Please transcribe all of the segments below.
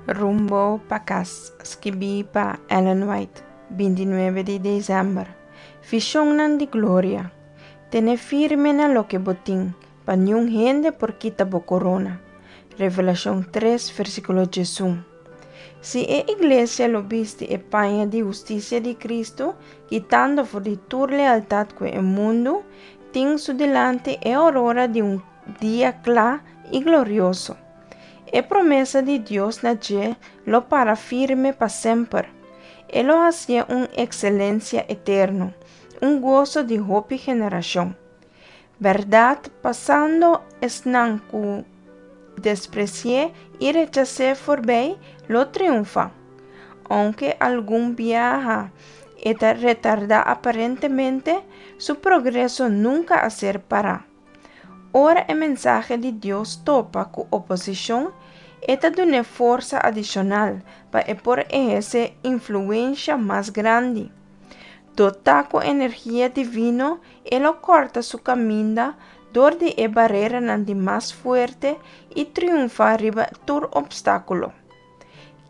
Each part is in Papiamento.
Rumbo pa kas, skibí pa Ellen White, 29 di desèmber. Vishonnan di gloria. Tene firme na loke bo tin, pa niun hende por kita bo korona. Revelashon 3, versíkulo 11. Si e iglesia lo bisti e paña di hustisia di Kristu, kitando for di tur lealtat ku e mundu, tin su dilanti e ourora di un dia kla i glorioso. E promesa di Dios na dje lo para firme pa semper. E lo hasié un ekselensia eterno, un goso di hopi generashon. Bèrdat, pasando esnan ku despresi'é i rechas'é forbei lo triunfá. Ounke algun biaha e ta retardá aparentemente, su progreso nunka a ser pará. Ora e mensahe di Dios topa ku oposishon, e ta dun'é forsa adishonal pa e por ehersé influensha mas grandi. Dotá ku energia divino, e lo kòrta su kaminda dor di e bareranan di mas fuerte i triunfá riba tur opstákulo.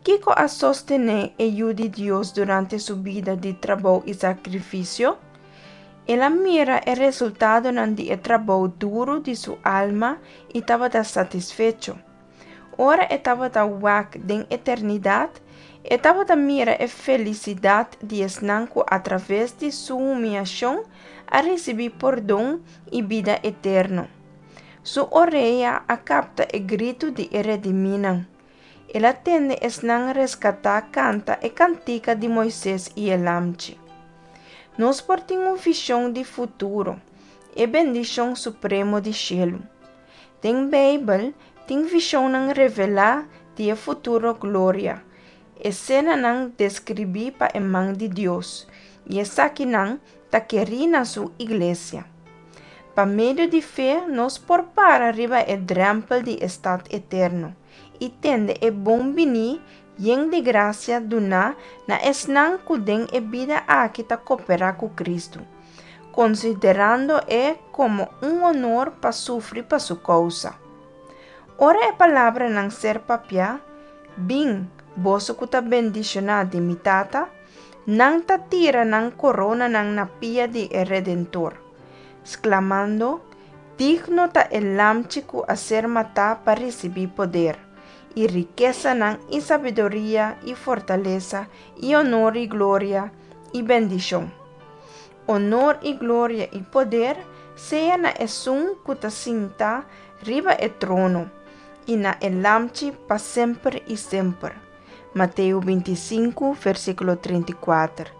Kiko a sostené e Yu di Dios durante su bida di trabou i sakrifisio? El a mira e resultadonan di e trabou duru di su alma i tabata satisfecho. Ora e tabata wak den eternidat, e tabata mira e felisidat di esnan ku atraves di su humiashon a risibí pordon i bida eterno. Su orea a kapta e gritu di e redimínan. El a tende esnan reskatá kanta e kantika di Moises i e Lamchi. Nos por tin un vishon di futuro, e bendishon supremo di shelu. Den Beibel tin vishonnan revelá di e futuro gloria, esenanan deskribí pa e man di Dios, i esakinan ta kerí na su iglesia. Pa medio di fe nos por para riba e drèmpel di e stat eterno i tende e bon biní yen di grasia duná na esnan ku den e bida aki ta koperá ku Kristu, konsiderando e komo un honor pa sufri pa su kousa. Ora e palabranan ser papiá, Bin, boso ku ta bendishoná di mi Tata, nan ta tira nan koronanan na pia di e Redentor, sklamando, Digno ta e Lamchi ku a ser matá pa risibí poder, i rikesanan, i sabiduria, i fortalesa, i onor i gloria, i bendishon. Onor i gloria i poder sea na Esun ku ta sintá riba e trono, i na e Lamchi pa semper i semper. Mateo 25, versíkulo 34,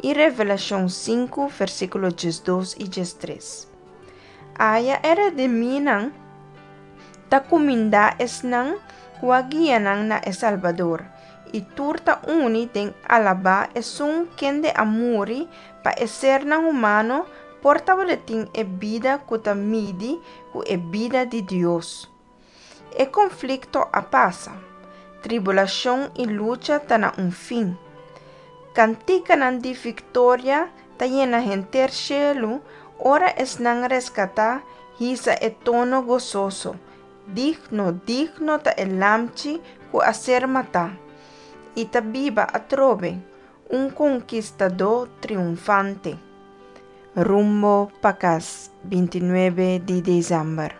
i Revelashon 5, versíkulo 12 i 13. Aya e redimínan ta kumindá esnan ku a guia nan na e Salbador, i tur ta uni den alabá esun kende a muri pa e sernan humano por tabatin e bida ku ta midi ku e bida di Dios. E konflikto a pasa. Tribulashon i lucha ta na un fin. Kantikanan di viktoria ta yena henter shelu ora esnan reskatá hisa e tono gososo, Digno, digno ta e Lamchi ku a ser matá, i ta biba atrobe, un konkistadó triunfante. Rumbo pa kas, 29 di desèmber.